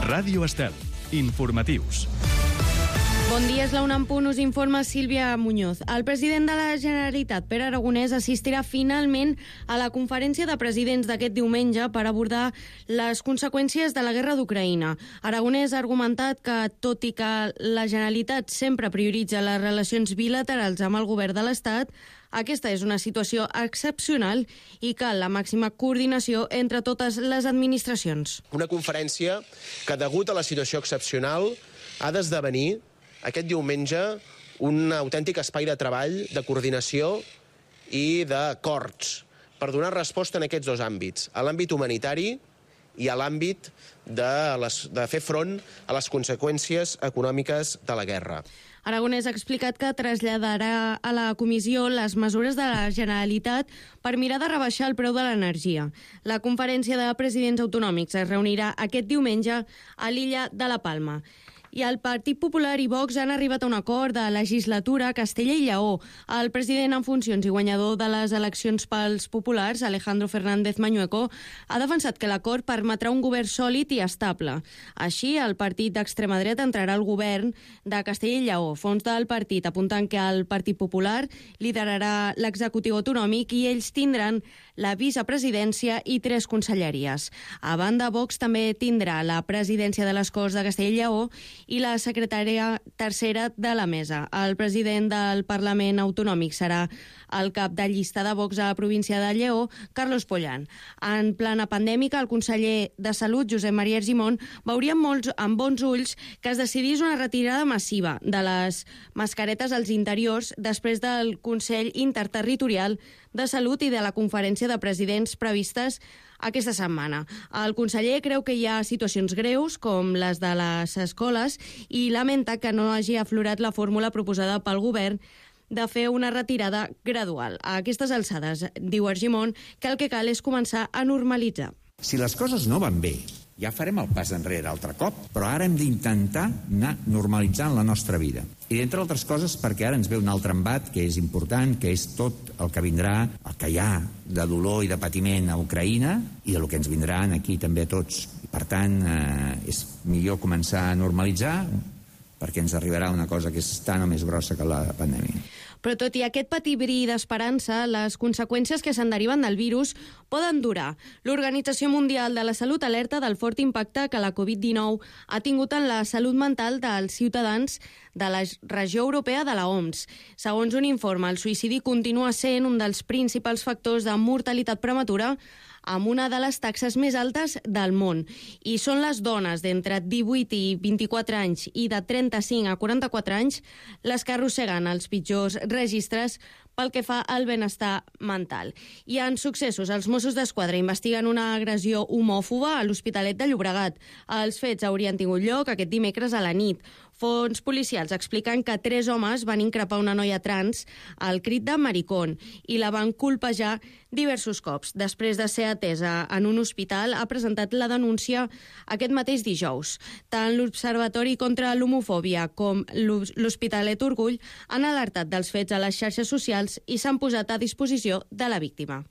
Ràdio Estel. Informatius. Bon dia, és la 1:00, us informa Sílvia Muñoz. El president de la Generalitat, Pere Aragonès, assistirà finalment a la conferència de presidents d'aquest diumenge per abordar les conseqüències de la guerra d'Ucraïna. Aragonès ha argumentat que, tot i que la Generalitat sempre prioritza les relacions bilaterals amb el govern de l'Estat, aquesta és una situació excepcional i cal la màxima coordinació entre totes les administracions. Una conferència que, degut a la situació excepcional, ha d'esdevenir aquest diumenge un autèntic espai de treball, de coordinació i d'acords per donar resposta en aquests dos àmbits, a l'àmbit humanitari i a l'àmbit de fer front a les conseqüències econòmiques de la guerra. Aragonès ha explicat que traslladarà a la comissió les mesures de la Generalitat per mirar de rebaixar el preu de l'energia. La conferència de presidents autonòmics es reunirà aquest diumenge a l'illa de la Palma. I el Partit Popular i Vox han arribat a un acord de legislatura a Castella i Lleó. El president en funcions i guanyador de les eleccions pels populars, Alejandro Fernández Mañueco, ha defensat que l'acord permetrà un govern sòlid i estable. Així, el partit d'extrema dreta entrarà al govern de Castella i Lleó. Fons del partit apuntant que el Partit Popular liderarà l'executiu autonòmic i ells tindran la vicepresidència i 3 conselleries. A banda, Vox també tindrà la presidència de les Corts de Castella i Lleó i la secretària tercera de la mesa. El president del Parlament Autonòmic serà el cap de llista de Vox a la província de Lleó, Carlos Pollan. En plena pandèmica, el conseller de Salut, Josep Maria Argimon, veuria amb bons ulls que es decidís una retirada massiva de les mascaretes als interiors després del Consell Interterritorial de Salut i de la conferència de presidents previstes aquesta setmana. El conseller creu que hi ha situacions greus, com les de les escoles, i lamenta que no hagi aflorat la fórmula proposada pel govern de fer una retirada gradual. A aquestes alçades, diu Argimon, que el que cal és començar a normalitzar. Si les coses no van bé, ja farem el pas enrere altre cop, però ara hem d'intentar anar normalitzant la nostra vida. I entre altres coses perquè ara ens ve un altre embat que és important, que és tot el que vindrà, el que hi ha de dolor i de patiment a Ucraïna i el que ens vindran aquí també a tots. I per tant, és millor començar a normalitzar perquè ens arribarà una cosa que és tan o més grossa que la pandèmia. Però tot i aquest petit bri d'esperança, les conseqüències que se'n deriven del virus poden durar. L'Organització Mundial de la Salut alerta del fort impacte que la Covid-19 ha tingut en la salut mental dels ciutadans de la regió europea de la OMS. Segons un informe, el suïcidi continua sent un dels principals factors de mortalitat prematura amb una de les taxes més altes del món. I són les dones d'entre 18 i 24 anys i de 35 a 44 anys les que arrosseguen els pitjors registres pel que fa al benestar mental. I en successos, els Mossos d'Esquadra investiguen una agressió homòfoba a l'Hospitalet de Llobregat. Els fets haurien tingut lloc aquest dimecres a la nit. Fons policials expliquen que 3 homes van increpar una noia trans al crit de maricón i la van colpejar diversos cops. Després de ser atesa en un hospital, ha presentat la denúncia aquest mateix dijous. Tant l'Observatori contra l'Homofòbia com l'Hospitalet Orgull han alertat dels fets a les xarxes socials i s'han posat a disposició de la víctima.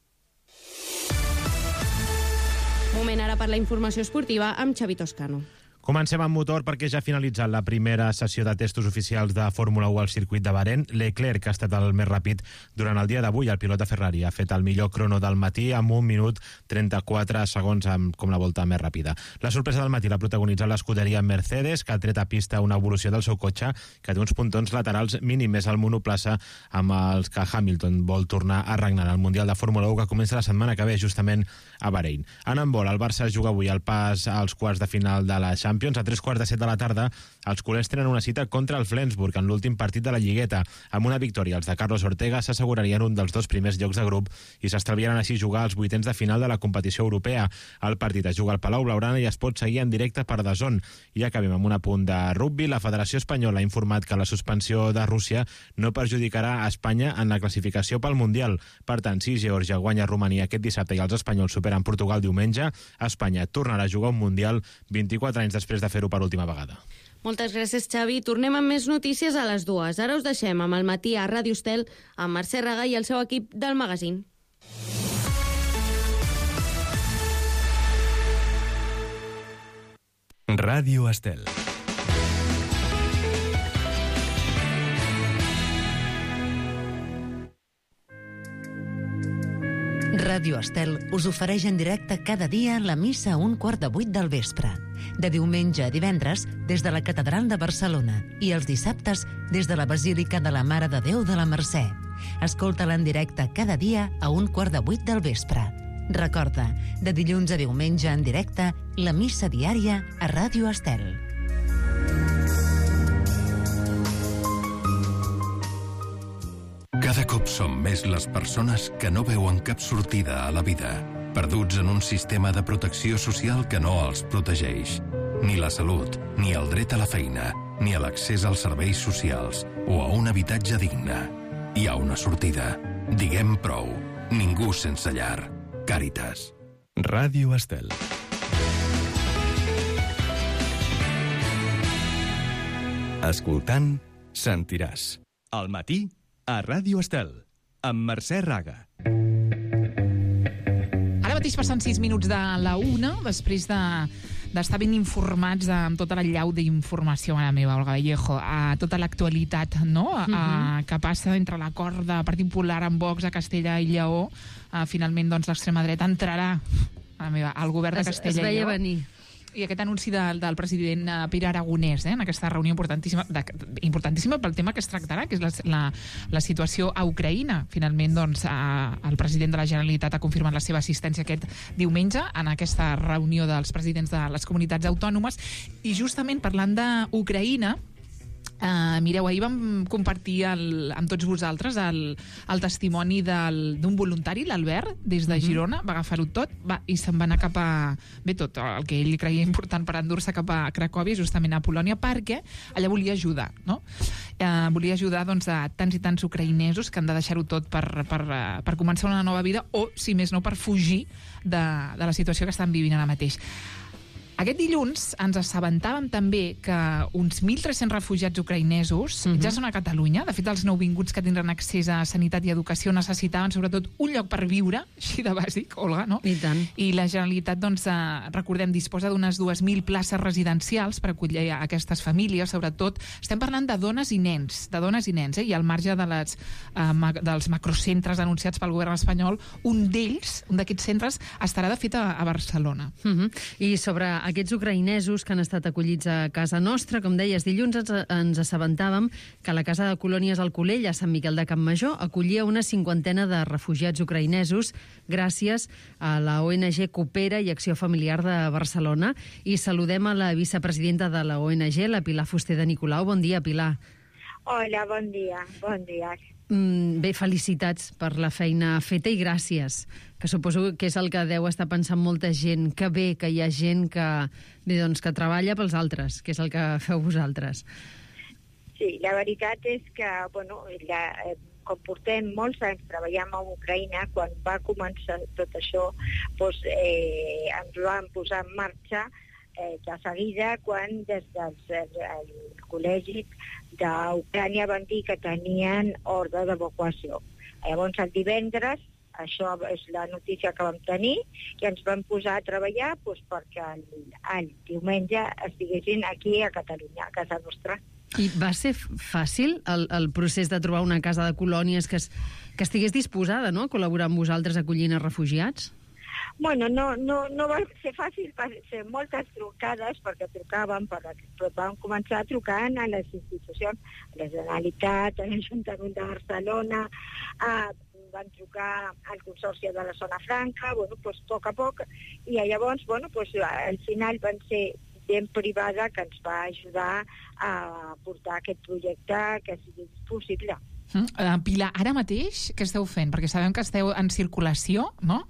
Moment ara per la informació esportiva amb Xavi Toscano. Comencem amb motor perquè ja ha finalitzat la primera sessió de testos oficials de Fórmula 1 al circuit de Bahrein. Leclerc ha estat el més ràpid durant el dia d'avui. El pilot de Ferrari ha fet el millor crono del matí amb 1 minut 34 segons com la volta més ràpida. La sorpresa del matí l'ha protagonitzat l'escuderia Mercedes, que ha tret a pista una evolució del seu cotxe que té uns puntons laterals mínims al monoplaça amb els que Hamilton vol tornar a regnar al Mundial de Fórmula 1 que comença la setmana que ve justament a Bahrein. En handbol, el Barça juga avui el pas als quarts de final de la Champions. A 3:15 de la tarda, els culers tenen una cita contra el Flensburg en l'últim partit de la Lligueta. Amb una victòria, els de Carlos Ortega s'assegurarien un dels 2 primers llocs de grup i s'estalviaran així jugar als 8ens de final de la competició europea. El partit es juga al Palau Blaugrana i es pot seguir en directe per DAZN. I acabem amb un apunt de rugbi. La Federació Espanyola ha informat que la suspensió de Rússia no perjudicarà a Espanya en la classificació pel Mundial. Per tant, si Geòrgia guanya Romania aquest dissabte i els espanyols superen Portugal diumenge, Espanya tornarà a jugar un Mundial 24 anys després de fer-ho per última vegada. Moltes gràcies, Xavi. Tornem amb més notícies a les 2. Ara us deixem amb el matí a Ràdio Estel amb Mercè Raga i el seu equip del magazín. Ràdio Estel. Ràdio Estel us ofereix en directe cada dia la missa a 7:15 del vespre. De diumenge a divendres des de la Catedral de Barcelona i els dissabtes des de la Basílica de la Mare de Déu de la Mercè. Escolta-la en directe cada dia a 7:15 del vespre. Recorda, de dilluns a diumenge en directe, la missa diària a Ràdio Estel. Cada cop som més les persones que no veuen cap sortida a la vida, perduts en un sistema de protecció social que no els protegeix. Ni la salut, ni el dret a la feina, ni a l'accés als serveis socials o a un habitatge digne. Hi ha una sortida. Diguem prou. Ningú sense llar. Càritas. Ràdio Estel. Escoltant, sentiràs. Al matí, a Ràdio Estel, amb Mercè Raga. Ara mateix passen 6 minuts de la 1, després d'estar ben informats amb tota la llau d'informació, mare meva, Olga Vallejo, a tota l'actualitat, no? Que passa entre l'acord de Partit Popular amb Vox a Castella i Lleó. Finalment, doncs, l'extrema dreta entrarà al govern de Castella i Lleó. Es veia venir. I aquest anunci del president Pere Aragonès en aquesta reunió importantíssima pel tema que es tractarà, que és la situació a Ucraïna. Finalment, doncs, el president de la Generalitat ha confirmat la seva assistència aquest diumenge en aquesta reunió dels presidents de les comunitats autònomes. I justament parlant d'Ucraïna, mireu, ahir vam compartir amb tots vosaltres el testimoni d'un voluntari, l'Albert, des de Girona, va agafar-ho tot i se'n va anar cap a... Bé, tot el que ell creia important per endur-se cap a Cracòvia, justament a Polònia, perquè allà volia ajudar, no? Volia ajudar, doncs, a tants i tants ucraïnesos que han de deixar-ho tot per començar una nova vida o, si més no, per fugir de la situació que estan vivint ara mateix. Aquest dilluns ens assabentàvem també que uns 1.300 refugiats ucraïnesos ja són a Catalunya. De fet, els nouvinguts que tindran accés a sanitat i educació necessitaven sobretot un lloc per viure, així de bàsic, Olga, no? I tant. I la Generalitat, doncs, recordem, disposa d'unes 2.000 places residencials per acollir aquestes famílies, sobretot. Estem parlant de dones i nens, i al marge dels macrocentres anunciats pel govern espanyol, un d'aquests centres estarà, de fet, a Barcelona. I sobre aquests ucraïnesos que han estat acollits a casa nostra, com deies, dilluns ens assabentàvem que la Casa de Colònies Alcolell, a Sant Miquel de Campmajor, acollia una 50ena de refugiats ucraïnesos gràcies a la ONG Coopera i Acció Familiar de Barcelona. I saludem a la vicepresidenta de la ONG, la Pilar Fuster de Nicolau. Bon dia, Pilar. Hola, bon dia. Bon dia. Bé, felicitats per la feina feta i gràcies, que suposo que és el que deu estar pensant molta gent, que bé que hi ha gent que treballa pels altres, que és el que feu vosaltres. Sí, la veritat és que, com portem molts anys treballant a Ucraïna, quan va començar tot això, ens vam posar en marxa de seguida quan des del col·legi d'Ucrània van dir que tenien ordre d'evacuació. Llavors, el divendres, això és la notícia que vam tenir, i ens vam posar a treballar perquè el diumenge estiguessin aquí a Catalunya, a casa nostra. I va ser fàcil el procés de trobar una casa de colònies que estigués disposada, no?, a col·laborar amb vosaltres acollint els refugiats? Bueno, no va ser fàcil, van ser moltes trucades perquè trucaven, vam començar trucant a les institucions, a la Generalitat, a l'Ajuntament de Barcelona, van trucar al Consorci de la Zona Franca, a poc a poc, i llavors, al final van ser gent privada que ens va ajudar a portar aquest projecte que sigui possible. Pilar, ara mateix què esteu fent? Perquè sabem que esteu en circulació, no?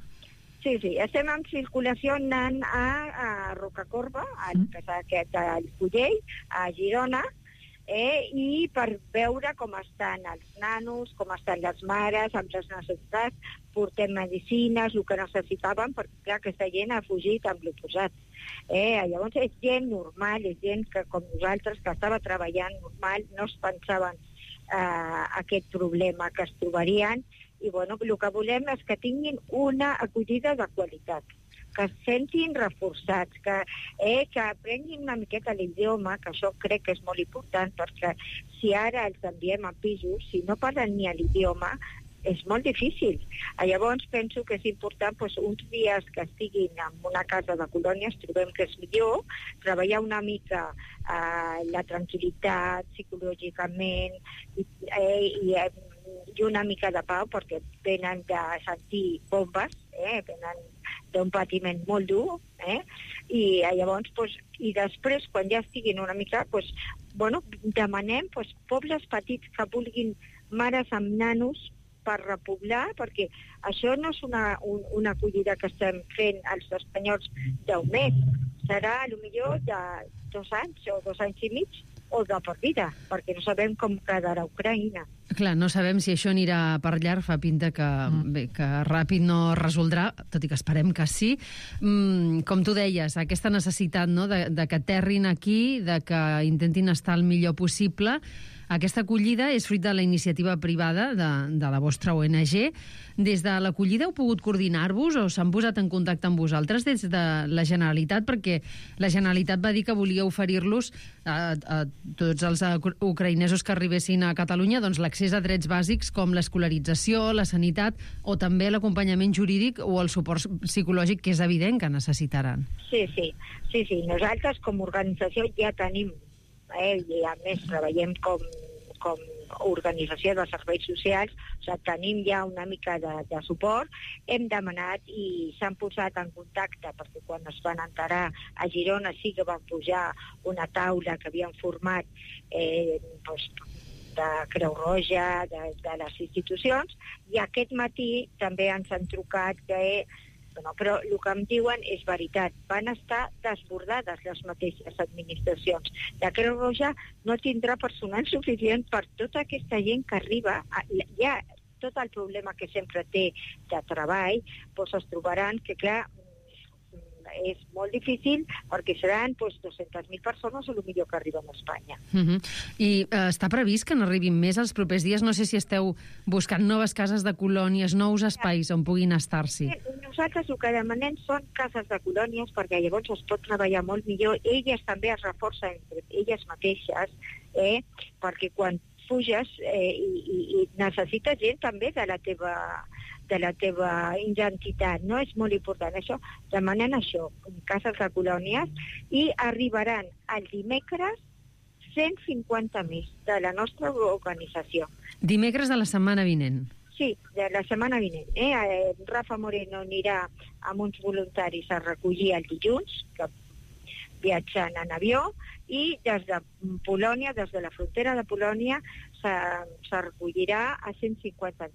Sí, estem en circulació anant a Rocacorba, al Collell, a Girona, i per veure com estan els nanos, com estan les mares, amb les necessitats, portem medicines, el que necessitaven, perquè clar, aquesta gent ha fugit amb l'oposat. Llavors és gent normal, és gent que com nosaltres, que estava treballant normal, no es pensaven aquest problema que es trobarien, i el que volem és que tinguin una acollida de qualitat, que es sentin reforçats, que aprenguin una miqueta l'idioma, que això crec que és molt important, perquè si ara els enviem a pisos, si no parlen ni l'idioma, és molt difícil. Llavors penso que és important uns dies que estiguin en una casa de colònies, trobem que és millor, treballar una mica la tranquil·litat psicològicament i una mica de pau, perquè venen de sentir bombes, venen d'un patiment molt dur, i llavors, i després, quan ja estiguin una mica, demanem pobles petits que vulguin mares amb nanos per repoblar, perquè això no és una acollida que estem fent els espanyols d'un mes, serà potser de 2 anys o 2 anys i mig, o de per vida, perquè no sabem com quedarà Ucraïna. Clar, no sabem si això anirà per llarg, fa pinta que ràpid no resoldrà, tot i que esperem que sí. Com tu deies, aquesta necessitat de que aterrin aquí, de que intentin estar el millor possible. Aquesta acollida és fruit de la iniciativa privada de la vostra ONG. Des de l'acollida heu pogut coordinar-vos o s'han posat en contacte amb vosaltres des de la Generalitat? Perquè la Generalitat va dir que volia oferir-los a tots els ucraïnesos que arribessin a Catalunya l'accés a drets bàsics com l'escolarització, la sanitat o també l'acompanyament jurídic o el suport psicològic, que és evident que necessitaran. Sí. Nosaltres com a organització ja tenim, i a més treballem com organització de serveis socials, tenim ja una mica de suport. Hem demanat i s'han posat en contacte, perquè quan es van enterar a Girona sí que van pujar una taula que havien format de Creu Roja, de les institucions, i aquest matí també ens han trucat però el que em diuen és veritat. Van estar desbordades les mateixes administracions. La Creu Roja no tindrà personal suficient per tota aquesta gent que arriba. Ja tot el problema que sempre té de treball, es trobaran que, clar, és molt difícil perquè seran 200.000 persones o millor que arriben a Espanya. I està previst que n'arribin més els propers dies? No sé si esteu buscant noves cases de colònies, nous espais on puguin estar-s'hi. Nosaltres el que demanem són cases de colònies perquè llavors es pot treballar molt millor. Elles també es reforcen entre elles mateixes, perquè quan fuges i necessites gent també de la teva identitat, no? És molt important això. Demanen això, cases de colònies, i arribaran el dimecres 150 més de la nostra organització. Dimecres de la setmana vinent? Sí, de la setmana vinent. Rafa Moreno anirà amb uns voluntaris a recollir el dilluns, que viatjant en avió, i des de Polònia, des de la frontera de Polònia, se recollirà a 150 més.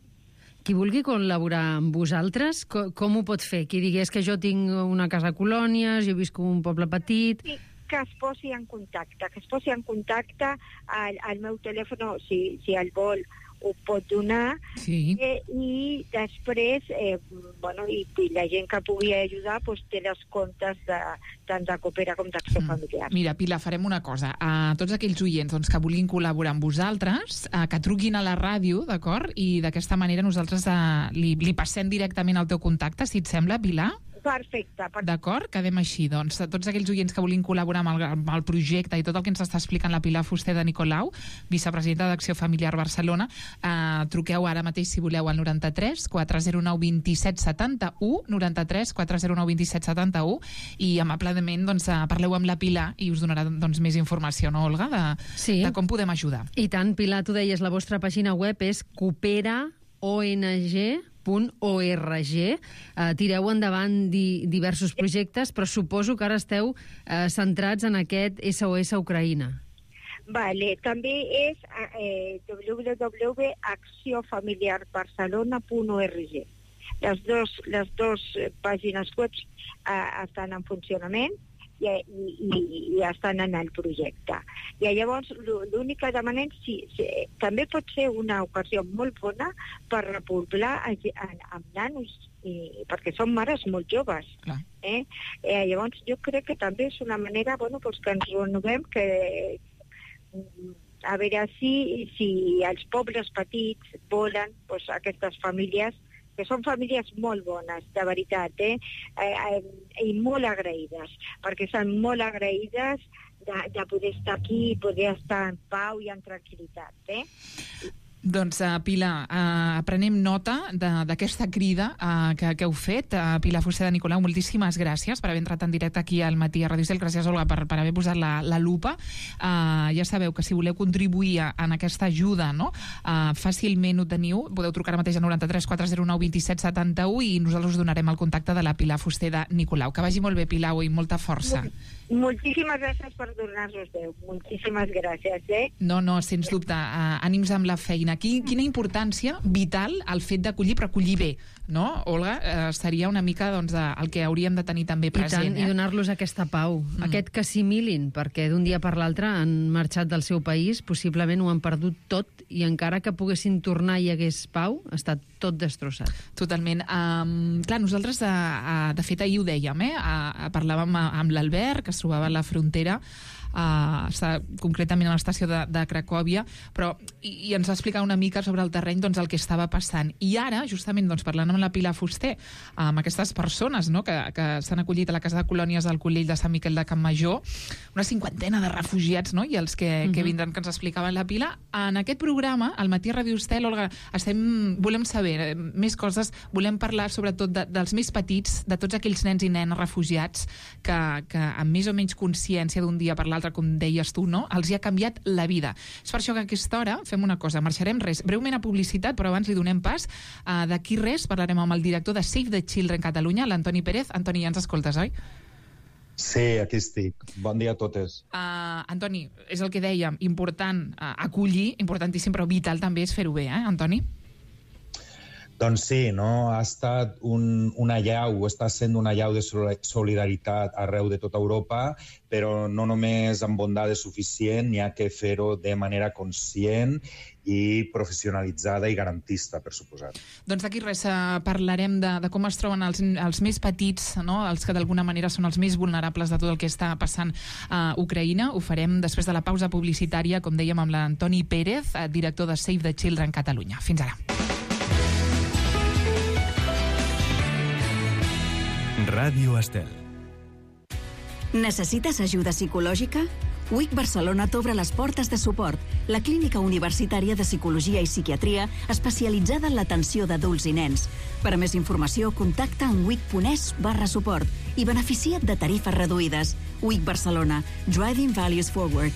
Qui vulgui col·laborar amb vosaltres, com ho pot fer? Qui digués que jo tinc una casa a colònies, jo visc en un poble petit... Sí, que es posi en contacte, al meu telèfon, si el vol, ho pot donar, i després, i la gent que pugui ajudar té les comptes tant de Coopera com d'Acció Familiar. Mira, Pilar, farem una cosa. A tots aquells oients que vulguin col·laborar amb vosaltres, que truquin a la ràdio, d'acord? I d'aquesta manera nosaltres li passem directament el teu contacte, si et sembla, Pilar? Perfecte. D'acord? Quedem així. Doncs tots aquells oients que vulguin col·laborar amb el projecte i tot el que ens està explicant la Pilar Fuster de Nicolau, vicepresidenta d'Acció Familiar Barcelona, truqueu ara mateix, si voleu, al 93 409 27 71, 93 409 27 71, i amablement parleu amb la Pilar i us donarà més informació, no, Olga, de com podem ajudar. I tant, Pilar, tu deies, la vostra pàgina web és cooperaong.org. Tireu endavant diversos projectes, però suposo que ara esteu centrats en aquest SOS Ucraïna. Vale, també és www.acciofamiliarbarcelona.org. Les dos pàgines web estan en funcionament i estan en el projecte. I llavors l'únic que demanem també pot ser una ocasió molt bona per repoblar amb nanos, perquè són mares molt joves. Llavors jo crec que també és una manera que ens renovem, a veure si els pobles petits volen aquestes famílies que són famílies molt bones, de veritat, i molt agraïdes, perquè són molt agraïdes de poder estar aquí i poder estar en pau i en tranquil·litat. Doncs, Pilar, prenem nota d'aquesta crida que heu fet. Pilar Fuster de Nicolau, moltíssimes gràcies per haver entrat en directe aquí al Matí a Ràdio Estel. Gràcies, Olga, per haver posat la lupa. Ja sabeu que si voleu contribuir en aquesta ajuda, no? Fàcilment ho teniu. Podeu trucar ara mateix a 93 409 27 71 i nosaltres us donarem el contacte de la Pilar Fuster de Nicolau. Que vagi molt bé, Pilar, i molta força. Moltíssimes gràcies per donar-nos veu. Moltíssimes gràcies, No, sens dubte. Ànims amb la feina. Quina importància vital el fet d'acollir, però acollir bé, no, Olga? Seria una mica el que hauríem de tenir també present. I donar-los aquesta pau, aquest que assimilin, perquè d'un dia per l'altre han marxat del seu país, possiblement ho han perdut tot, i encara que poguessin tornar i hi hagués pau, ha estat tot destrossat. Totalment. Clar, nosaltres, de fet, ahir ho dèiem, parlàvem amb l'Albert, que es trobava a la frontera, concretament a l'estació de Cracòvia, i ens va explicar una mica sobre el terreny el que estava passant. I ara, justament, parlant amb la Pilar Fuster, amb aquestes persones que s'han acollit a la Casa de Colònies del Collell de Sant Miquel de Campmajor, una 50 de refugiats, i els que vindran, que ens explicaven la Pilar. En aquest programa, al Matí a Ràdio Estel, Olga, volem saber més coses, volem parlar sobretot dels més petits, de tots aquells nens i nenes refugiats que amb més o menys consciència d'un dia per l'altre, com deies tu, els hi ha canviat la vida. És per això que a aquesta hora fem una cosa, marxarem breument a publicitat, però abans li donem pas. D'aquí res parlarem amb el director de Save the Children Catalunya, l'Antoni Pérez. Antoni, ja ens escoltes, oi? Sí, aquí estic. Bon dia a totes. Antoni, és el que dèiem, important acollir, importantíssim, però vital també és fer-ho bé, Antoni? Doncs sí, ha estat una allau, està sent una allau de solidaritat arreu de tota Europa, però no només amb bondades suficient, n'hi ha que fer-ho de manera conscient i professionalitzada i garantista, per suposat. Doncs d'aquí res parlarem de com es troben els més petits, els que d'alguna manera són els més vulnerables de tot el que està passant a Ucraïna. Ho farem després de la pausa publicitària, com dèiem, amb l'Antoni Pérez, director de Save the Children Catalunya. Fins ara. Ràdio Estel. Necessites ajuda psicològica? UIC Barcelona t'obre les portes de suport, la clínica universitària de psicologia i psiquiatria especialitzada en l'atenció d'adults i nens. Per a més informació, contacta amb uic.es/suport i beneficia't de tarifes reduïdes. UIC Barcelona, Driving Values Forward.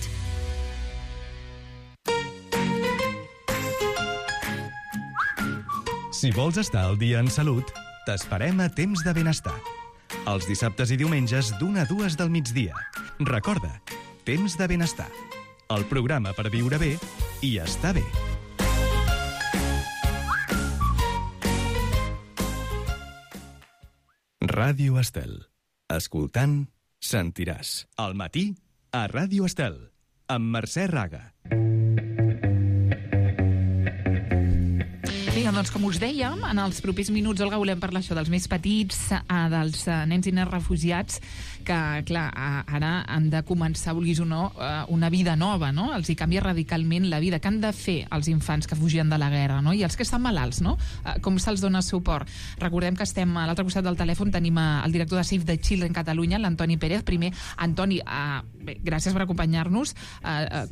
Si vols estar al dia en salut, t'esperem a Temps de Benestar. Els dissabtes i diumenges d'1 a 2 del migdia. Recorda, Temps de Benestar. El programa per viure bé i estar bé. Ràdio Estel. Escoltant, sentiràs. Al matí, a Ràdio Estel, amb Mercè Raga. Doncs com us dèiem, en els propers minuts, Olga, volem parlar això dels més petits, dels nens i nenes refugiats, que, clar, ara han de començar, vulguis o no, una vida nova, no? Els hi canvia radicalment la vida. Què han de fer els infants que fugien de la guerra, no? I els que estan malalts, no? Com se'ls dona suport? Recordem que estem a l'altre costat del telèfon, tenim el director de Save the Children Catalunya, l'Antoni Pérez. Primer, Antoni, bé, gràcies per acompanyar-nos.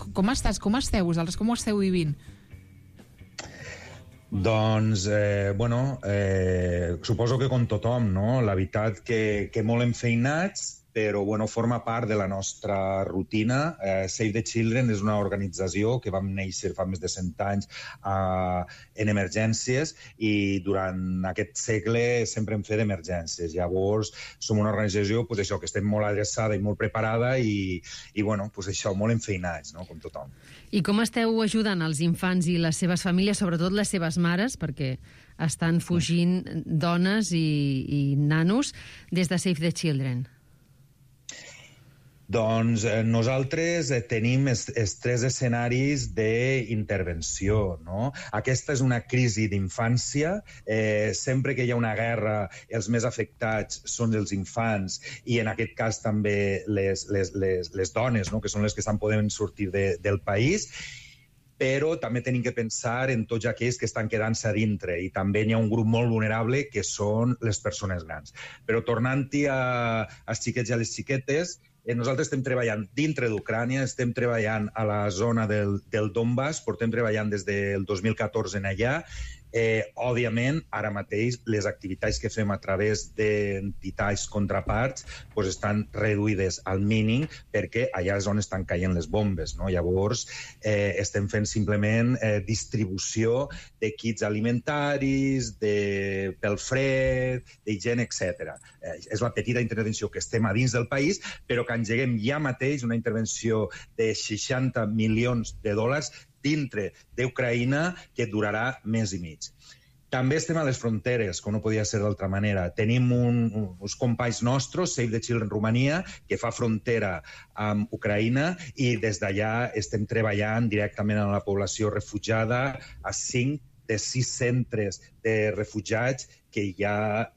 Com estàs? Com esteu vosaltres? Com ho esteu vivint? Doncs, suposo que com tothom, no? La veritat que molt enfeinats, però forma part de la nostra rutina. Save the Children és una organització que vam néixer fa més de 100 anys en emergències i durant aquest segle sempre hem fet emergències. Llavors, som una organització que estem molt adreçada i molt preparada i molt enfeinats, no? Com tothom. I com esteu ajudant els infants i les seves famílies, sobretot les seves mares, perquè estan fugint dones i nanos des de Save the Children? Doncs nosaltres tenim els 3 escenaris d'intervenció, no? Aquesta és una crisi d'infància. Sempre que hi ha una guerra, els més afectats són els infants i en aquest cas també les dones, no? Que són les que estan podent sortir del país. però també tenim que pensar en tots aquells que estan quedant-se a dintre, i també hi ha un grup molt vulnerable que són les persones grans. Però tornant-hi als xiquets i a les xiquetes, nosaltres estem treballant dintre d'Ucrània, estem treballant a la zona del Donbass, portem treballant des del 2014 en allà. Òbviament, ara mateix, les activitats que fem a través d'entitats contraparts estan reduïdes al mínim perquè allà és on estan caient les bombes. Llavors, estem fent simplement distribució de kits alimentaris, pel fred, d'higiene, etc. És la petita intervenció que estem a dins del país, però que engeguem ja mateix una intervenció de $60 milions dintre d'Ucraïna que durarà mes i mig. També estem a les fronteres, com no podia ser d'altra manera. Tenim uns companys nostres, Save the Children Romania, que fa frontera amb Ucraïna, i des d'allà estem treballant directament amb la població refugiada a 5 de 6 centres de refugiats que hi ha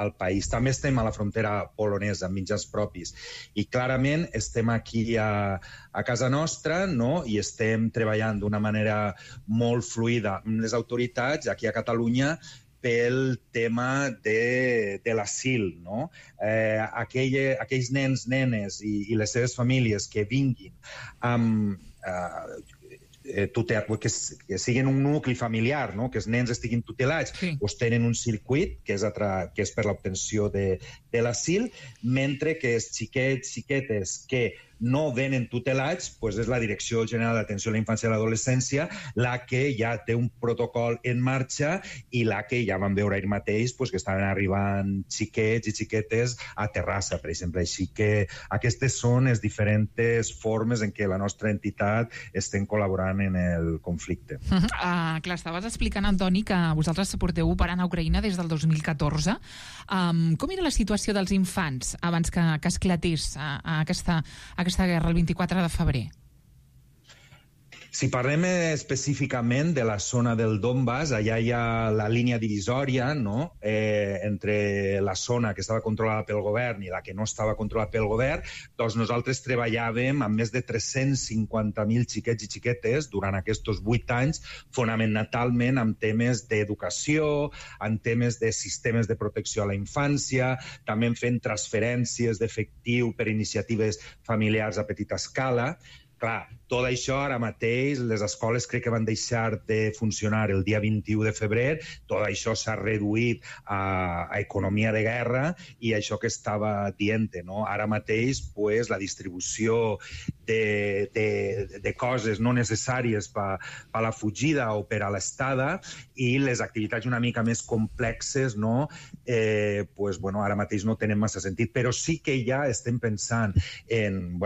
al país. També estem a la frontera polonesa amb mitjans propis. I clarament estem aquí a casa nostra, i estem treballant d'una manera molt fluida amb les autoritats aquí a Catalunya pel tema de l'asil. Aquells nens, nenes i les seves famílies que vinguin amb que siguin un nucli familiar, que els nens estiguin tutelats, tenen un circuit que és per l'obtenció de l'asil, mentre que els xiquets, xiquetes que no venen tutelats, és la Direcció General d'Atenció a la Infància i l'Adolescència la que ja té un protocol en marxa i la que ja vam veure ahir mateix que estaven arribant xiquets i xiquetes a Terrassa, per exemple. Així que aquestes són les diferents formes en què la nostra entitat estem col·laborant en el conflicte. Clar, estaves explicant, Antoni, que vosaltres porteu operant a Ucraïna des del 2014. Com era la situació dels infants abans que esclatés aquesta guerra el 24 de febrer? Si parlem específicament de la zona del Donbass, allà hi ha la línia divisòria entre la zona que estava controlada pel govern i la que no estava controlada pel govern. Doncs nosaltres treballàvem amb més de 350.000 xiquets i xiquetes durant aquests 8 anys, fonamentalment amb temes d'educació, amb temes de sistemes de protecció a la infància, també fent transferències d'efectiu per iniciatives familiars a petita escala. Clar, tot això ara mateix, les escoles crec que van deixar de funcionar el dia 21 de febrer, tot això s'ha reduït a economia de guerra i això que estava dient, ara mateix la distribució de coses no necessàries per a la fugida o per a l'estada i les activitats una mica més complexes ara mateix no tenen massa sentit, però sí que ja estem pensant en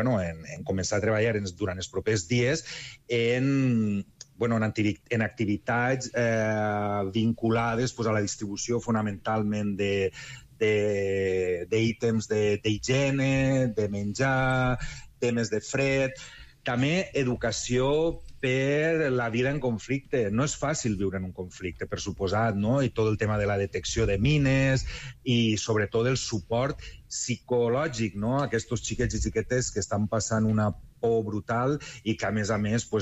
començar a treballar durant els propers dies en activitats vinculades a la distribució fonamentalment d'ítems d'higiene, de menjar, temes de fred, també educació per la vida en conflicte. No és fàcil viure en un conflicte, per suposat, i tot el tema de la detecció de mines i sobretot el suport psicològic a aquests xiquets i xiquetes que estan passant una por brutal i que, a més,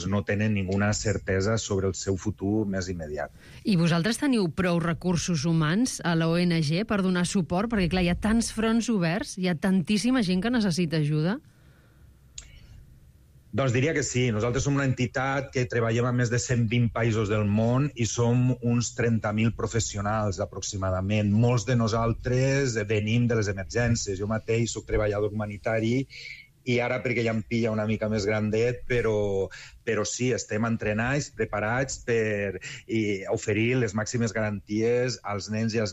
no tenen ninguna certesa sobre el seu futur més immediat. I vosaltres teniu prou recursos humans a l'ONG per donar suport? Perquè, clar, hi ha tants fronts oberts, hi ha tantíssima gent que necessita ajuda. Doncs diria que sí. Nosaltres som una entitat que treballem a més de 120 països del món i som uns 30.000 professionals, aproximadament. Molts de nosaltres venim de les emergències. Jo mateix soc treballador humanitari i ara perquè ja em pilla una mica més grandet, però sí, estem entrenats, preparats per oferir les màximes garanties als nens i a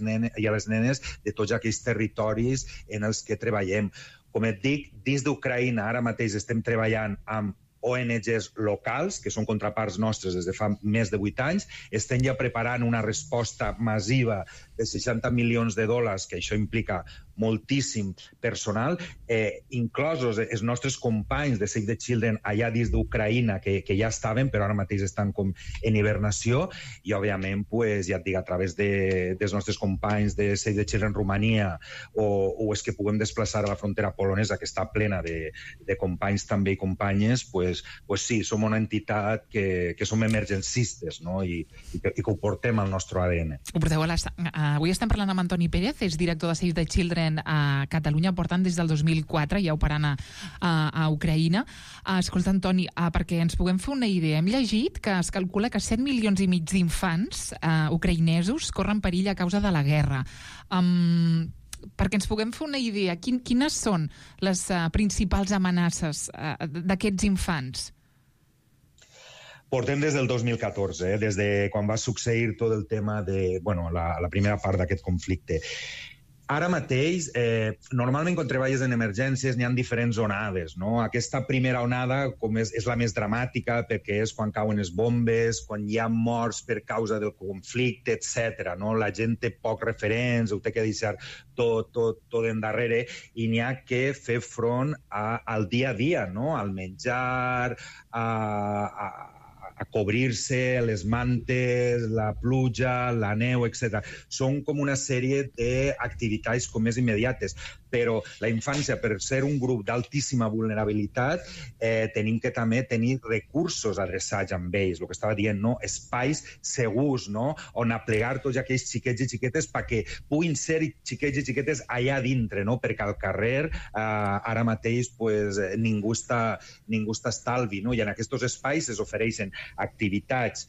les nenes de tots aquells territoris en els que treballem. Com et dic, dins d'Ucraïna ara mateix estem treballant amb ONGs locals, que són contraparts nostres des de fa més de 8 anys. Estem ja preparant una resposta massiva de $60 milions, que això implica moltíssim personal, inclosos els nostres companys de Save the Children allà dins d'Ucraïna, que ja estaven, però ara mateix estan com en hibernació, i, òbviament, ja et dic, a través dels nostres companys de Save the Children Romania, o és que puguem desplaçar a la frontera polonesa, que està plena de companys també i companyes, pues sí, som una entitat que som emergencistes, no? I que ho portem al nostre ADN. Ho porteu avui estem parlant amb Antoni Pérez, és director de Save the Children a Catalunya, portant des del 2004, ja operant a Ucraïna. Escolta, Antoni, perquè ens puguem fer una idea, hem llegit que es calcula que 7,5 milions d'infants ucraïnesos corren perill a causa de la guerra. Perquè ens puguem fer una idea, quines són les principals amenaces d'aquests infants? Portem des del 2014, des de quan va succeir tot el tema de la primera part d'aquest conflicte. Ara mateix, normalment quan treballes en emergències n'hi ha diferents onades, no? Aquesta primera onada és la més dramàtica perquè és quan cauen les bombes, quan hi ha morts per causa del conflicte, etc. No? La gent té pocs referents, ho té que deixar tot endarrere i n'hi ha que fer front al dia a dia, no? Al menjar, a cobrir-se, les mantes, la pluja, la neu, etc. Són com una sèrie d'activitats com més immediates, però la infància, per ser un grup d'altíssima vulnerabilitat, tenim que també tenir recursos adreçats amb ells, el que estava dient, no? Espais segurs, no? On aplegar tots aquells xiquets i xiquetes perquè puguin ser xiquets i xiquetes allà dintre, no? Perquè al carrer ara mateix ningú està estalvi, no? I en aquests espais es ofereixen activitats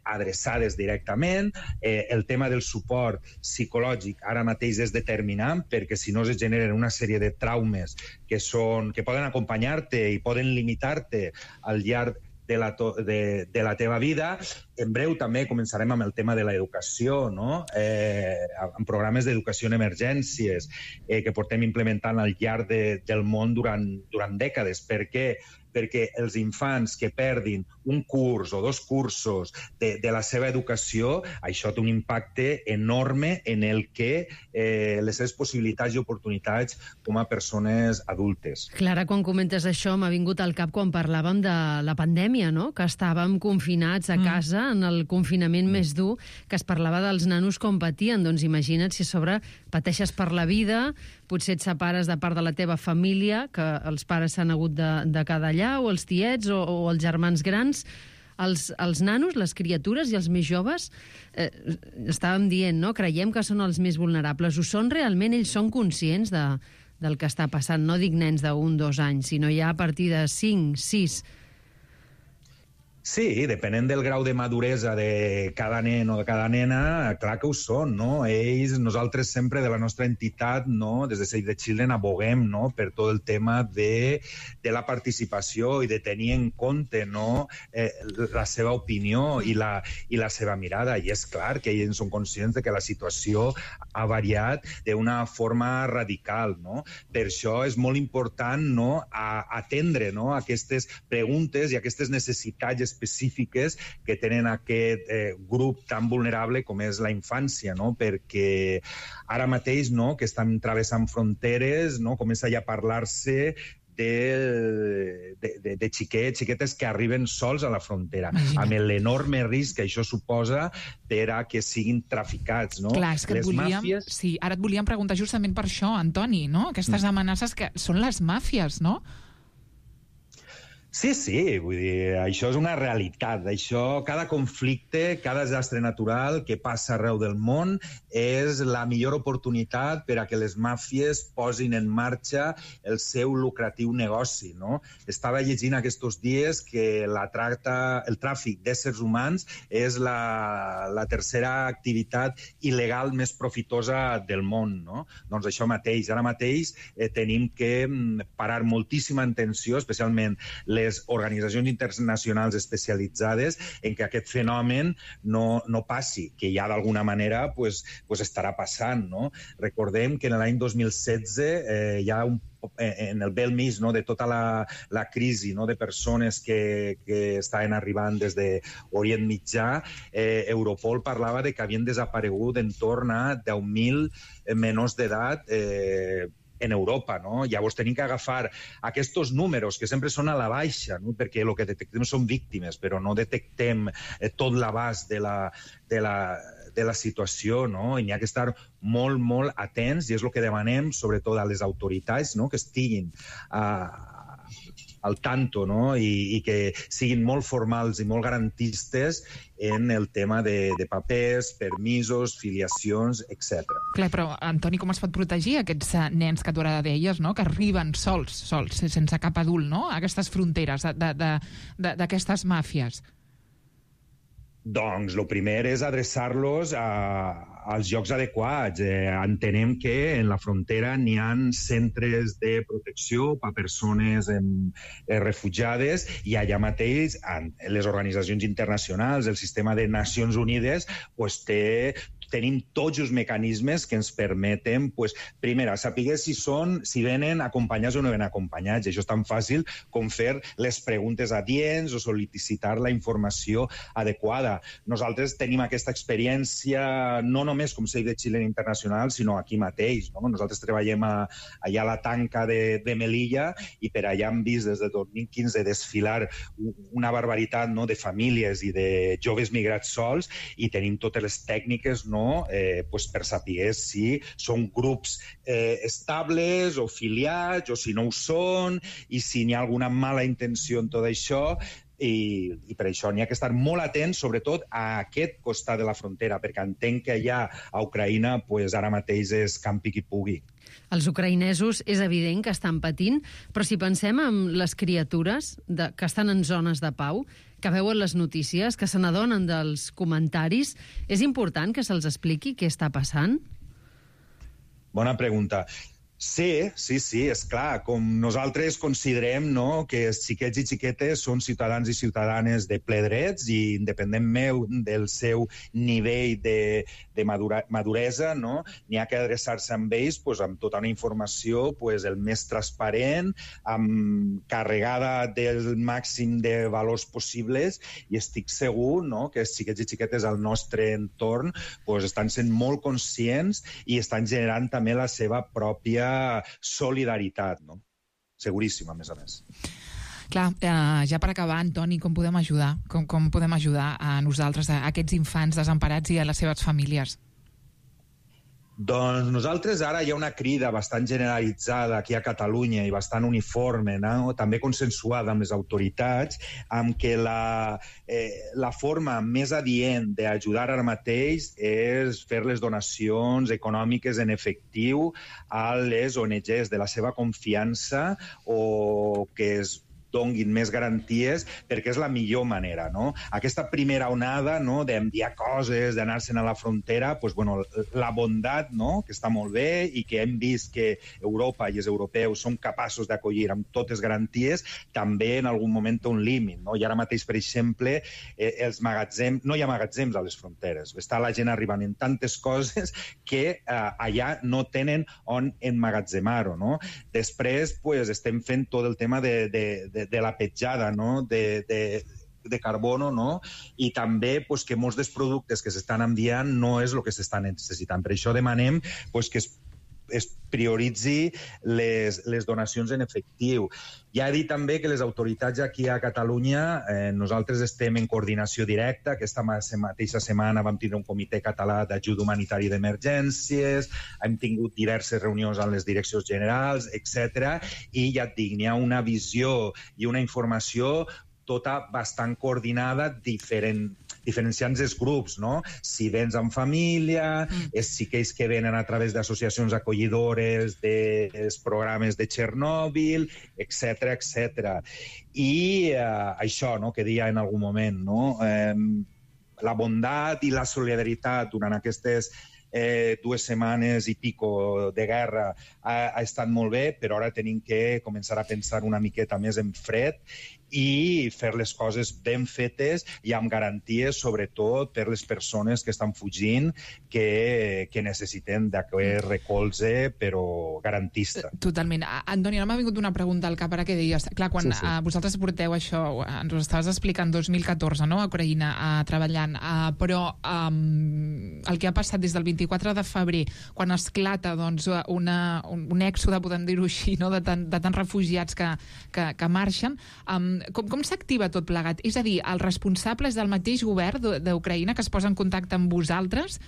adreçades directament. El tema del suport psicològic ara mateix és determinant perquè si no es generen una sèrie de traumes que poden acompanyar-te i poden limitar-te al llarg de la teva vida. En breu també començarem amb el tema de l'educació, no? Amb programes d'educació en emergències que portem implementant al llarg del món durant dècades. Per què? Perquè els infants que perdin un curs o 2 cursos de la seva educació, això té un impacte enorme en el que les seves possibilitats i oportunitats com a persones adultes. Clara, quan comentes això, m'ha vingut al cap quan parlàvem de la pandèmia, no? Que estàvem confinats a casa en el confinament més dur, que es parlava dels nanos com patien. Doncs imagina't si a sobre pateixes per la vida, potser et separes de part de la teva família, que els pares s'han hagut de quedar allà, o els tiets, o els germans grans. Els nanos, les criatures i els més joves, estàvem dient, no? Creiem que són els més vulnerables. Ho són realment? Ells són conscients del que està passant? No dic nens de 1 o 2 anys, sinó ja a partir de 5, 6... Sí, depenent del grau de maduresa de cada nen o de cada nena, clar que ho són, no? Nosaltres sempre de la nostra entitat, no? Des de Save the Children aboguem, no? Per tot el tema de la participació i de tenir en compte, no? La seva opinió i la seva mirada. I és clar que ells són conscients de que la situació ha variat d'una forma radical, no? Per això és molt important, no? Atendre, no? Aquestes preguntes i aquestes necessitats específiques que tenen aquest grup tan vulnerable com és la infància, no? Perquè ara mateix, no?, que estan travessant fronteres, no?, comença ja a parlar-se de xiquetes que arriben sols a la frontera, amb l'enorme risc que això suposa per a que siguin traficats, no? Clar, és que sí, ara et volíem preguntar justament per això, Antoni, no? Aquestes amenaces que són les màfies, no? Sí, vull dir, això és una realitat. Cada conflicte, cada desastre natural que passa arreu del món és la millor oportunitat per a que les màfies posin en marxa el seu lucratiu negoci, no? Estava llegint aquests dies que el tràfic d'éssers humans és la tercera activitat il·legal més profitosa del món, no? Doncs això mateix. Ara mateix tenim que parar moltíssima atenció, especialment les organitzacions internacionals especialitzades en que aquest fenomen no passi, que ja d'alguna manera estarà passant, no? Recordem que en l'any 2016 ja en el bell mig, no, de tota la crisi, no, de persones que estaven arribant des d'Orient Mitjà, Europol parlava de que havien desaparegut entorn a 10.000 menors d'edat en Europa, no? Llavors tenim que agafar aquests números que sempre són a la baixa, no? Perquè el que detectem són víctimes, però no detectem tot l'abast de la situació, no? I n'hi ha que estar molt, molt atents, i és el que demanem, sobretot a les autoritats, no? Que estiguin al tanto, no? I que siguin molt formals i molt garantistes en el tema de papers, permisos, filiacions, etc. Clar, però, Antoni, com es pot protegir aquests nens que tu ara deies, no? Que arriben sols, sense cap adult, no? A aquestes fronteres d'aquestes màfies? Doncs el primer és adreçar-los als llocs adequats. Entenem que en la frontera n'hi ha centres de protecció per a persones refugiades i allà mateix les organitzacions internacionals, el sistema de Nacions Unides, tenim tots els mecanismes que ens permeten, primer, saber si venen acompanyats o no venen acompanyats. Això és tan fàcil com fer les preguntes adients o sol·licitar la informació adequada. Nosaltres tenim aquesta experiència no només com Save the Children Internacional, sinó aquí mateix. Nosaltres treballem allà a la tanca de Melilla i per allà hem vist des de 2015 desfilar una barbaritat de famílies i de joves migrats sols i tenim totes les tècniques per saber si són grups estables o filiats o si no ho són i si n'hi ha alguna mala intenció en tot això. I per això n'hi ha que estar molt atents, sobretot a aquest costat de la frontera, perquè entenc que allà a Ucraïna ara mateix és campi qui pugui. Els ucraïnesos és evident que estan patint, però si pensem en les criatures que estan en zones de pau, que veuen les notícies, que se n'adonen dels comentaris, és important que se'ls expliqui què està passant? Bona pregunta. Sí, és clar. Com nosaltres considerem que els xiquets i xiquetes són ciutadans i ciutadanes de ple drets i independentment del seu nivell de maduresa, n'hi ha que adreçar-se amb ells amb tota una informació el més transparent, carregada del màxim de valors possibles i estic segur que els xiquets i xiquetes al nostre entorn estan sent molt conscients i estan generant també la seva pròpia solidaritat, seguríssim, a més. Clar, ja per acabar, Antoni, com podem ajudar? Com podem ajudar a nosaltres, a aquests infants desemparats i a les seves famílies? Doncs nosaltres ara hi ha una crida bastant generalitzada aquí a Catalunya i bastant uniforme, també consensuada amb les autoritats, amb que la forma més adient d'ajudar ara mateix és fer les donacions econòmiques en efectiu a les ONGs de la seva confiança o que es donguin més garanties, perquè és la millor manera, Aquesta primera onada d'enviar coses, d'anar-se'n a la frontera, la bondat, que està molt bé i que hem vist que Europa i els europeus són capaços d'acollir amb totes garanties, també en algun moment té un límit, I ara mateix, per exemple, no hi ha magatzems a les fronteres. Està la gent arribant en tantes coses que allà no tenen on emmagatzemar-ho, Després, estem fent tot el tema de la petjada de carbono, i també que molts dels productes que s'estan enviant no és el que s'estan necessitant. Per això demanem que es prioritzi les donacions en efectiu. Ja he dit també que les autoritats aquí a Catalunya, nosaltres estem en coordinació directa. Aquesta mateixa setmana vam tindre un comitè català d'ajuda humanitària d'emergències, hem tingut diverses reunions amb les direccions generals, etc. I ja et dic, n'hi ha una visió i una informació tota bastant coordinada, diferenciant els grups, Si vens amb família, si aquells que venen a través d'associacions acollidores dels programes de Txernòbil, etc. I això, que deia en algun moment, la bondat i la solidaritat durant aquestes 2 setmanes i pico de guerra ha estat molt bé, però ara tenim que començar a pensar una miqueta més en fred i fer les coses ben fetes i amb garanties, sobretot per les persones que estan fugint, que necessiten d'aquest recolze, però garantista. Totalment. Antoni, ara m'ha vingut una pregunta al cap, ara que deies. Clar, quan vosaltres porteu això, ens ho estaves explicant 2014, a Ucraïna, treballant, però el que ha passat des del 24 de febrer, quan esclata un èxode, podem dir-ho així, de tants refugiats que marxen, com s'activa tot plegat? És a dir, els responsables del mateix govern d'Ucraïna que es posa en contacte amb vosaltres?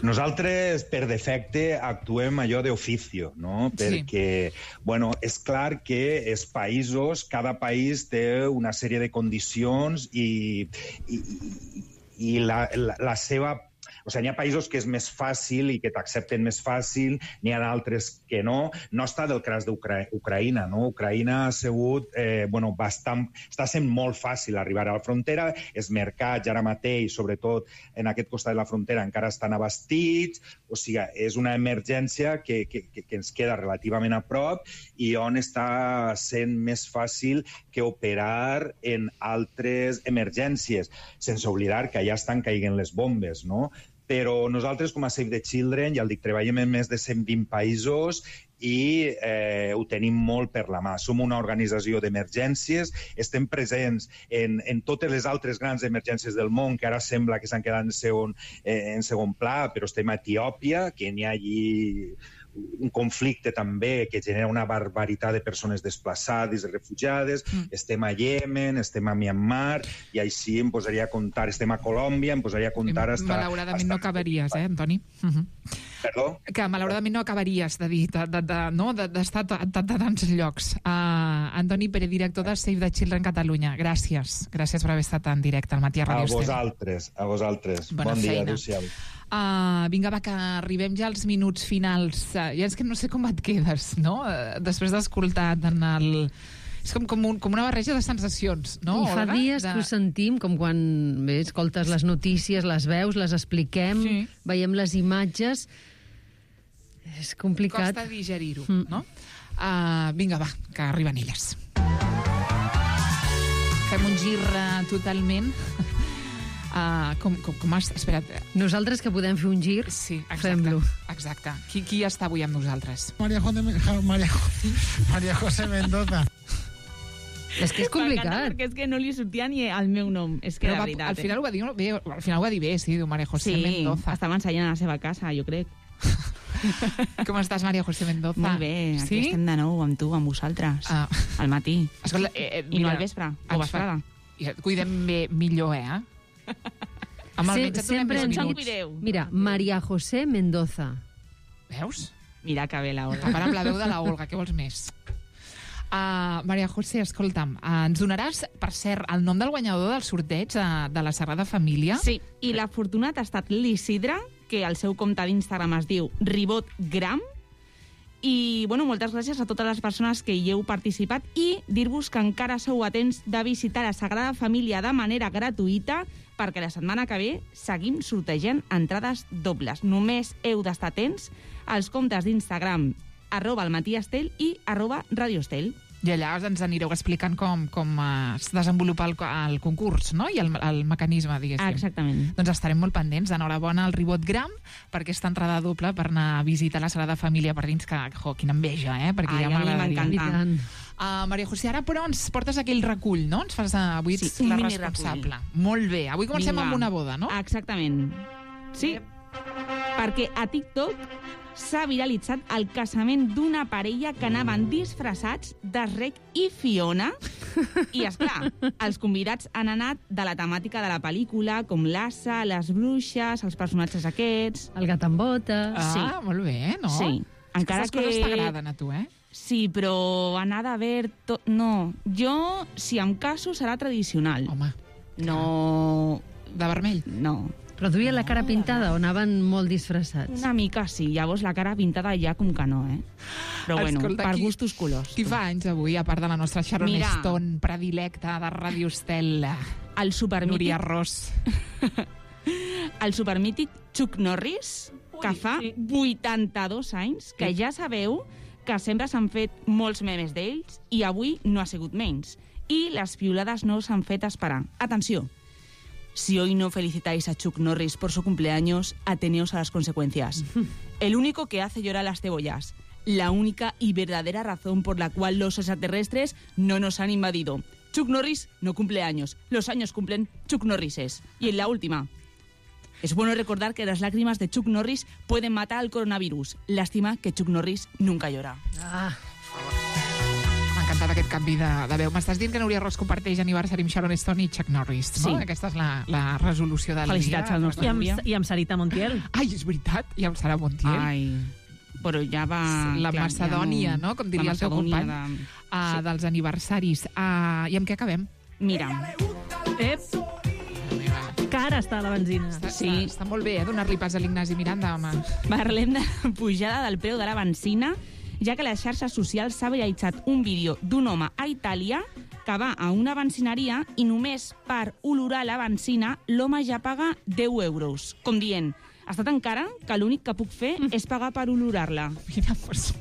Nosaltres, per defecte, actuem allò d'oficio, no? Perquè, bueno, és clar que els països, cada país té una sèrie de condicions i la seva... O sigui, n'hi ha països que és més fàcil i que t'accepten més fàcil, n'hi ha d'altres que no. No està del cas d'Ucraïna, no? Ucraïna ha sigut, està sent molt fàcil arribar a la frontera. Els mercats ara mateix, sobretot en aquest costat de la frontera, encara estan abastits. O sigui, és una emergència que ens queda relativament a prop i on està sent més fàcil que operar en altres emergències, sense oblidar que allà estan caient les bombes, no? Però nosaltres, com a Save the Children, ja el dic, treballem en més de 120 països i ho tenim molt per la mà. Som una organització d'emergències, estem presents en totes les altres grans emergències del món, que ara sembla que s'han quedat en segon pla, però estem a Etiòpia, que n'hi ha allí un conflicte també que genera una barbaritat de persones desplaçades i refugiades. Estem a Iemen, estem a Myanmar, i així em posaria a comptar. Estem a Colòmbia, em posaria a comptar malauradament no acabaries, Antoni? Perdó? Que malauradament no acabaries de dir, d'estar a tants llocs. Antoni Pérez, director de Save the Children Catalunya. Gràcies. Gràcies per haver estat en directe al Matí a Ràdio Estel. A vosaltres. Bona bon dia, feina. adéu-siau. Vinga, va, que arribem ja als minuts finals. Ja és que no sé com et quedes, no? Després d'escoltar tant el... És com una barreja de sensacions, no? I fa dies que ho sentim, com quan escoltes les notícies, les veus, les expliquem, veiem les imatges. És complicat. Costa digerir-ho, no? Vinga, va, que arriben elles. Fem un gir totalment... Com has... Espera't. Nosaltres que podem fer un gir, fem-lo. Exacte. Qui està avui amb nosaltres? María José Mendoza. És que és complicat. Perquè és que no li sortia ni el meu nom. És que, però de veritat. Al final ho va dir bé, sí, diu María José Mendoza. Sí, estava ensenyant a la seva casa, jo crec. Com estàs, María José Mendoza? Molt bé, aquí estem de nou amb tu, amb vosaltres. Al matí. Escolta, i no al vespre, o vesprada. Cuidem bé millor, Amb el metge sempre ens cuideu. Mira, María José Mendoza. Veus? Mira que bé la Olga. Para amb la veu de la Olga, què vols més? María José, escolta'm, ens donaràs, per cert, el nom del guanyador del sorteig de la Sagrada Família? Sí, i l'afortunat ha estat l'Isidre, que el seu compte d'Instagram es diu RibotGram. I, bueno, moltes gràcies a totes les persones que hi heu participat i dir-vos que encara sou a temps de visitar la Sagrada Família de manera gratuïta perquè la setmana que ve seguim sortejant entrades dobles. Només heu d'estar atents als comptes d'Instagram @almatiestel i @radioestel. I allà ens anireu explicant com es desenvolupa el concurs, no? I el mecanisme, diguéssim. Exactament. Doncs estarem molt pendents. Enhorabona al RibotGram per aquesta entrada doble per anar a visitar la Sagrada Família per dins, que, quina enveja, perquè ja m'encanta. Maria José, ara però ens portes aquell recull, no? Ens fas avui la responsable. Molt bé. Avui comencem amb una boda, no? Exactament. Sí, perquè a TikTok s'ha viralitzat el casament d'una parella que anaven disfressats de Rec i Fiona. I, esclar, els convidats han anat de la temàtica de la pel·lícula, com l'Assa, les bruixes, els personatges aquests... El gat amb botes... Molt bé, no? Sí. Encara que... Aquestes coses t'agraden a tu, Sí, però anar de verd... No. Jo, si em caso, serà tradicional. Home. No... De vermell? No. Però duien la cara pintada o anaven molt disfressats? Una mica sí, llavors la cara pintada ja com que no, Però bueno, escolta, per gustos colors. Qui fa anys avui, a part de la nostra Sharon Stone predilecta de Ràdio Estel? El supermític... Núria Ros. El supermític Chuck Norris, que fa 82 anys, que ja sabeu que sempre s'han fet molts memes d'ells i avui no ha sigut menys. I les piulades no s'han fet esperar. Atenció. Si hoy no felicitáis a Chuck Norris por su cumpleaños, ateneos a las consecuencias. El único que hace llorar a las cebollas. La única y verdadera razón por la cual los extraterrestres no nos han invadido. Chuck Norris no cumple años. Los años cumplen Chuck Norrises. Y en la última. Es bueno recordar que las lágrimas de Chuck Norris pueden matar al coronavirus. Lástima que Chuck Norris nunca llora. encantat aquest canvi de veu. M'estàs dient que Núria Ros comparteix aniversari amb Sharon Stone i Chuck Norris, no? Sí. Aquesta és la resolució del Felicitats dia. al nostre Núria. I amb Sarita Montiel. Ai, és veritat, i amb Sara Montiel. Ai, però ja va... La Macedònia, no? Com diria el teu company, dels aniversaris. I amb què acabem? Mira. Cara està la benzina. Està molt bé, donar-li pas a l'Ignasi Miranda, home. Parlem de pujada del preu de la benzina, ja que a les xarxes socials s'ha viralitzat un vídeo d'un home a Itàlia que va a una benzineria i només per olorar la benzina l'home ja paga 10 euros. Com dient, està tan cara que l'únic que puc fer és pagar per olorar-la. Mira, pues...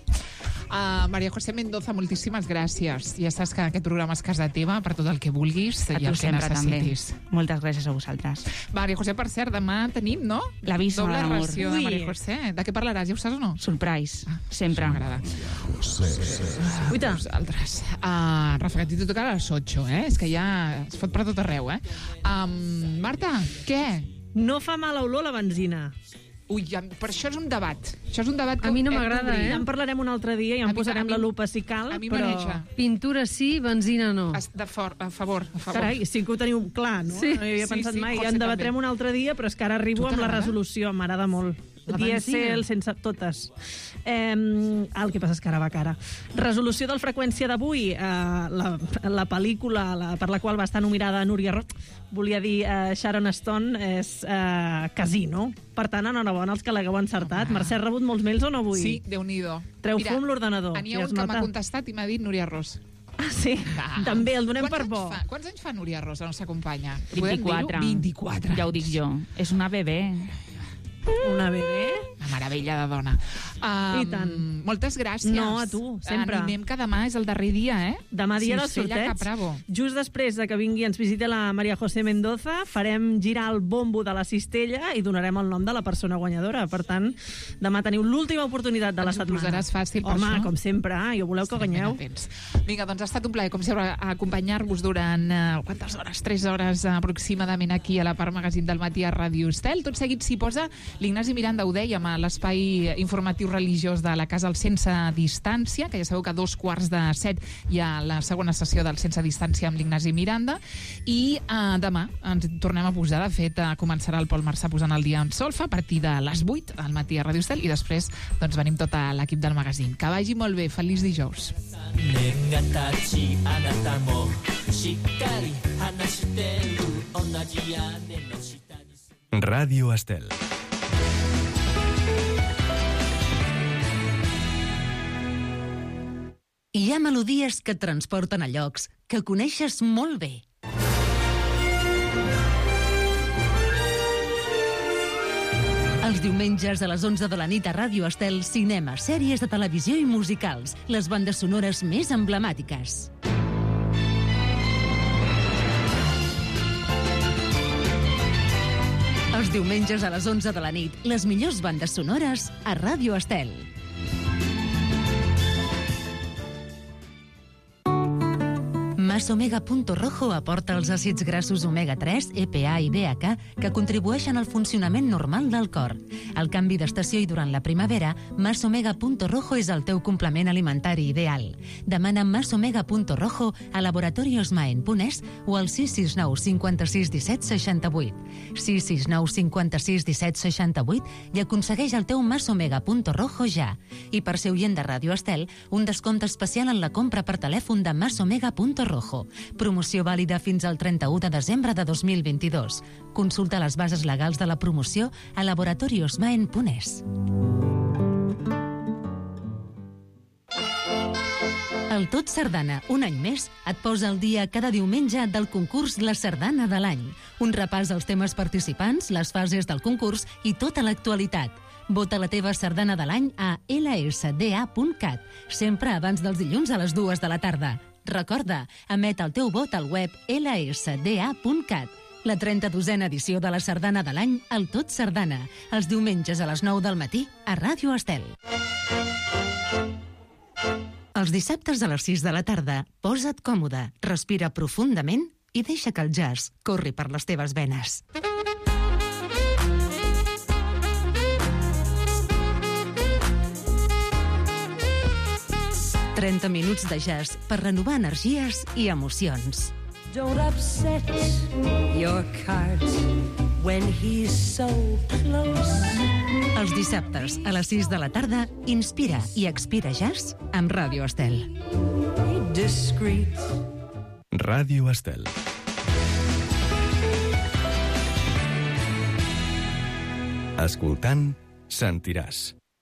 Maria José Mendoza, moltíssimes gràcies. Ja saps que aquest programa és casa teva per tot el que vulguis i el que necessitis. També. Moltes gràcies a vosaltres. Maria José, per cert, demà tenim, no? L'avís doble d'amor. ració de Maria José. De què parlaràs, ja ho saps o no? Surprise, sempre. M'agrada. Vosaltres. Rafa, que a ti te toca a les 8, És que ja es fot per tot arreu, Marta, què? No fa mala olor la benzina. Ui, per això és un debat. Això és un debat que a mi no m'agrada, Ja en parlarem un altre dia i en posarem la lupa si cal, a mi però... maneja. Pintura sí, benzina no. A favor. Carai, sí que ho teniu clar, no? Sí. No hi havia pensat mai. Ja en debatrem un altre dia, però és que ara arribo amb la resolució. M'agrada molt. Dièsel sense totes. El que passa és que ara va cara. Resolució del freqüència d'avui. La pel·lícula per la qual va estar nominada Núria Ros, volia dir Sharon Stone, és Casino. Per tant, enhorabona als que l'hagueu encertat. Mercè, ha rebut molts mails o no avui? Sí, Déu-n'hi-do. Treu fum l'ordenador. N'hi ha un que m'ha contestat i m'ha dit Núria Ros. Ah, sí? També, el donem per bo. Quants anys fa Núria Ros, la nostra companya? 24. 24. Ja ho dic jo. És una bebè. Una bebè? Una meravella de dona. I tant. Moltes gràcies. No, a tu, sempre. Animem que demà és el darrer dia, Demà dia del sorteig. Just després de que vingui ens visiti la Maria José Mendoza, farem girar el bombo de la cistella i donarem el nom de la persona guanyadora. Per tant, demà teniu l'última oportunitat de la setmana. Ens ho posaràs fàcil per això? Home, com sempre, jo voleu que guanyeu. Vinga, doncs ha estat un plaer, com sempre, acompanyar-vos durant quantes hores? 3 hores aproximadament aquí a la Part Magazín del Matí a Ràdio Estel. Tot seguit s'hi posa l'Ignasi Miranda, ho dèiem, a l'espai informatiu religiós de la Casa al Sense Distància, que ja sabeu que a 2:15 hi ha la segona sessió del Sense Distància amb l'Ignasi Miranda, i demà ens tornem a posar. De fet, començarà el Pol Marçà posant el dia en solfa a partir de les 8 al matí a Ràdio Estel, i després doncs, venim tot l'equip del magazín. Que vagi molt bé, feliç dijous. Ràdio Estel. Hi ha melodies que et transporten a llocs que coneixes molt bé. Els diumenges a les 11 de la nit a Ràdio Estel, cinema, sèries de televisió i musicals, les bandes sonores més emblemàtiques. Els diumenges a les 11 de la nit, les millors bandes sonores a Ràdio Estel. Masomega.rojo aporta els àcids grassos omega-3, EPA i DHA que contribueixen al funcionament normal del cor. Al canvi d'estació i durant la primavera, Masomega.rojo és el teu complement alimentari ideal. Demana Masomega.rojo a Laboratorios Maen.es o al 669 56 17 68. 669 56 17 68 i aconsegueix el teu Masomega.rojo ja. I per ser oient de Ràdio Estel, un descompte especial en la compra per telèfon de Masomega.rojo. Promoció vàlida fins al 31 de desembre de 2022. Consulta les bases legals de la promoció a laboratoriosmaen.es. El Tot Sardana, un any més, et posa al dia cada diumenge del concurs La Sardana de l'any. Un repàs als temes participants, les fases del concurs i tota l'actualitat. Vota la teva sardana de l'any a lsda.cat, sempre abans dels dilluns a les 2 de la tarda. Recorda, emet el teu vot al web lsda.cat. La 32a edició de la Sardana de l'any, el Tot Sardana, els diumenges a les 9 del matí a Ràdio Estel. Els dissabtes a les 6 de la tarda, posa't còmode, respira profundament i deixa que el jazz corri per les teves venes. 30 minuts de jazz per renovar energies i emocions. Don't upset your cart when he's so close. Els dissabtes a les 6 de la tarda, Inspira i Expira Jazz amb Ràdio Estel. Discreet. Ràdio Estel. Escoltant, sentiràs.